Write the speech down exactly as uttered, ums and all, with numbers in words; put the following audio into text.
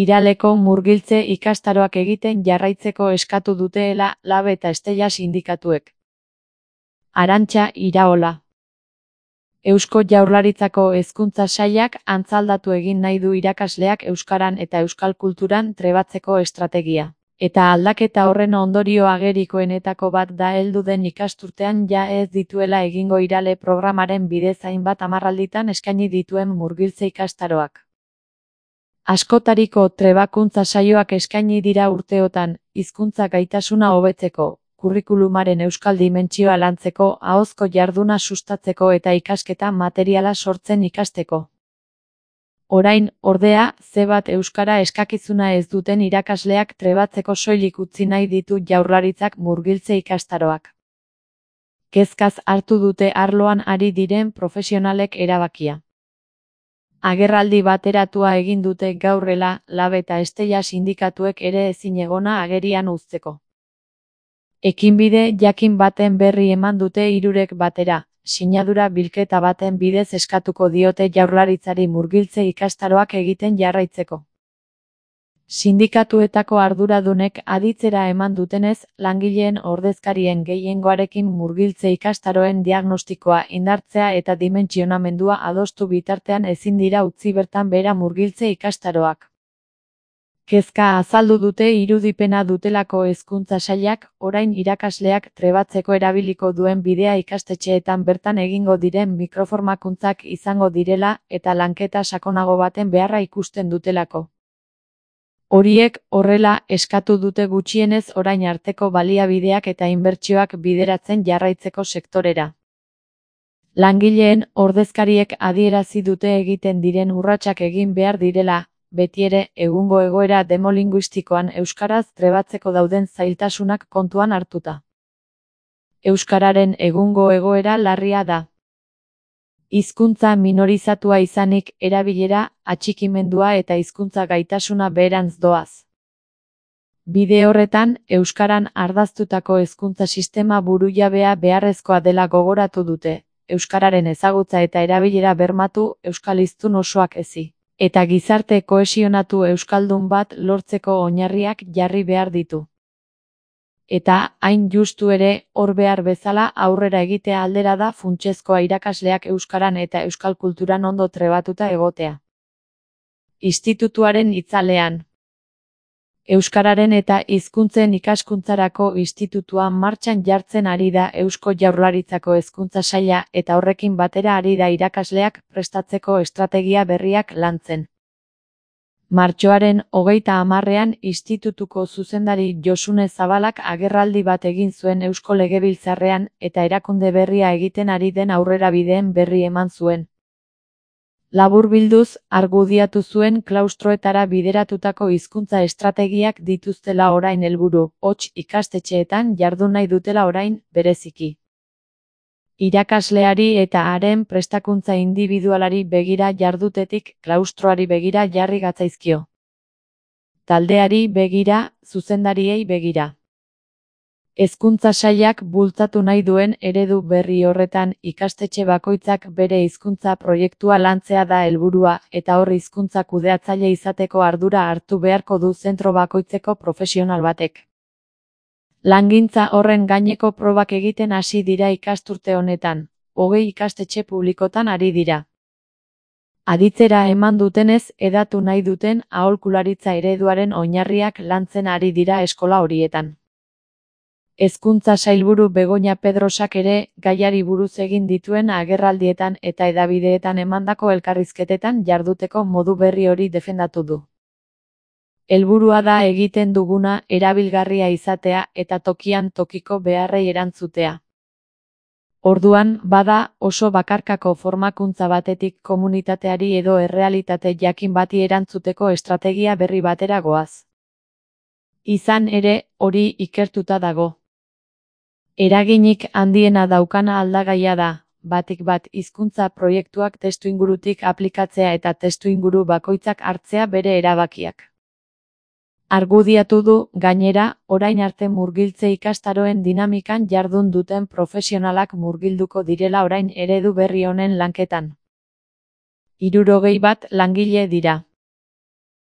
Iraleko murgiltze ikastaroak egiten jarraitzeko eskatu duteela Lab eta Estella sindikatuek. Arantxa Iraola. Eusko Jaurlaritzako Hezkuntza Sailak antzaldatu egin nahi du irakasleak euskaran eta euskal kulturan trebatzeko estrategia. Eta aldaketa horren ondorio agerikoenetako bat da heldu den ikasturtean ja ez dituela egingo Irale programaren bidez hainbat hamarralditan eskaini dituen murgiltze ikastaroak. Askotariko trebakuntza saioak eskaini dira urteotan, hizkuntza gaitasuna hobetzeko, kurrikulumaren euskal dimentsioa lantzeko, ahozko jarduna sustatzeko eta ikasketa materiala sortzen ikasteko. Orain, ordea, ze bat euskara eskakizuna ez duten irakasleak trebatzeko soilik utzi nahi ditu Jaurlaritzak murgiltze ikastaroak. Kezkaz hartu dute arloan ari diren profesionalek erabakia. Agerraldi bateratua egin dute gaurrela, Lab eta Estella sindikatuek ere ezinegona agerian uzteko. Ekinbide jakin baten berri eman dute hirurek batera, sinadura bilketa baten bidez eskatuko diote Jaurlaritzari murgiltze ikastaroak egiten jarraitzeko. Sindikatuetako arduradunek aditzera eman dutenez, langileen ordezkarien gehiengoarekin murgiltze ikastaroen diagnostikoa indartzea eta dimentsionamendua adostu bitartean ezin dira utzi bertan behera murgiltze ikastaroak. Kezka azaldu dute irudipena dutelako Hezkuntza Sailak, orain irakasleak trebatzeko erabiliko duen bidea ikastetxeetan bertan egingo diren mikroformakuntzak izango direla eta lanketa sakonago baten beharra ikusten dutelako. Horiek, horrela, eskatu dute gutxienez orain arteko baliabideak eta inbertsioak bideratzen jarraitzeko sektorera. Langileen ordezkariek adierazi dute egiten diren urratsak egin behar direla, betiere, egungo egoera demolinguistikoan euskaraz trebatzeko dauden zailtasunak kontuan hartuta. Euskararen egungo egoera larria da. Hizkuntza minorizatua izanik, erabilera, atxikimendua eta hizkuntza gaitasuna beherantz doaz. Bide horretan, euskaran ardaztutako hezkuntza sistema burujabea beharrezkoa dela gogoratu dute, euskararen ezagutza eta erabilera bermatu, euskal hiztun osoak ezi. Eta gizarte kohesionatu euskaldun bat lortzeko oinarriak jarri behar ditu. Eta, hain justu ere, hor behar bezala aurrera egitea aldera da funtsezkoa irakasleak euskaran eta euskal kulturan ondo trebatuta egotea. Institutuaren itzalean. Euskararen eta hizkuntzen ikaskuntzarako institutua martxan jartzen ari da Eusko Jaurlaritzako Hezkuntza Saila eta horrekin batera ari da irakasleak prestatzeko estrategia berriak lantzen. Martxoaren hogeita hamarrean institutuko zuzendari Josune Zabalak agerraldi bat egin zuen Eusko Legebiltzarrean eta erakunde berria egiten ari den aurrerabideen berri eman zuen. Laburbilduz, argudiatu zuen klaustroetara bideratutako hizkuntza estrategiak dituztela orain helburu, hots ikastetxeetan jardun nahi dutela orain, bereziki. Irakasleari eta haren prestakuntza indibidualari begira jardutetik klaustroari begira jarri gatzaizkio. Taldeari begira, zuzendariei begira. Hezkuntza Sailak bultzatu nahi duen eredu berri horretan ikastetxe bakoitzak bere hizkuntza proiektua lantzea da helburua eta hor hizkuntza kudeatzaile izateko ardura hartu beharko du zentro bakoitzeko profesional batek. Langintza horren gaineko probak egiten hasi dira ikasturte honetan, hogei ikastetxe publikotan ari dira. Aditzera eman dutenez hedatu nahi duten aholkularitza ereduaren oinarriak lantzen ari dira eskola horietan. Hezkuntza Sailburu Begoña Pedrosak ere, gaiari buruz egin dituen agerraldietan eta hedabideetan emandako elkarrizketetan jarduteko modu berri hori defendatu du. Helburua da egiten duguna erabilgarria izatea eta tokian tokiko beharrei erantzutea. Orduan, bada, oso bakarkako formakuntza batetik komunitateari edo errealitate jakin bati erantzuteko estrategia berri batera goaz. Izan ere, hori ikertuta dago. Eraginik handiena daukana aldagaia da, batik bat hizkuntza proiektuak testuingurutik aplikatzea eta testuinguru bakoitzak hartzea bere erabakiak. Argudiatu du, gainera, orain arte murgiltze ikastaroen dinamikan jardun duten profesionalak murgilduko direla orain eredu berri honen lanketan. Hirurogei bat langile dira.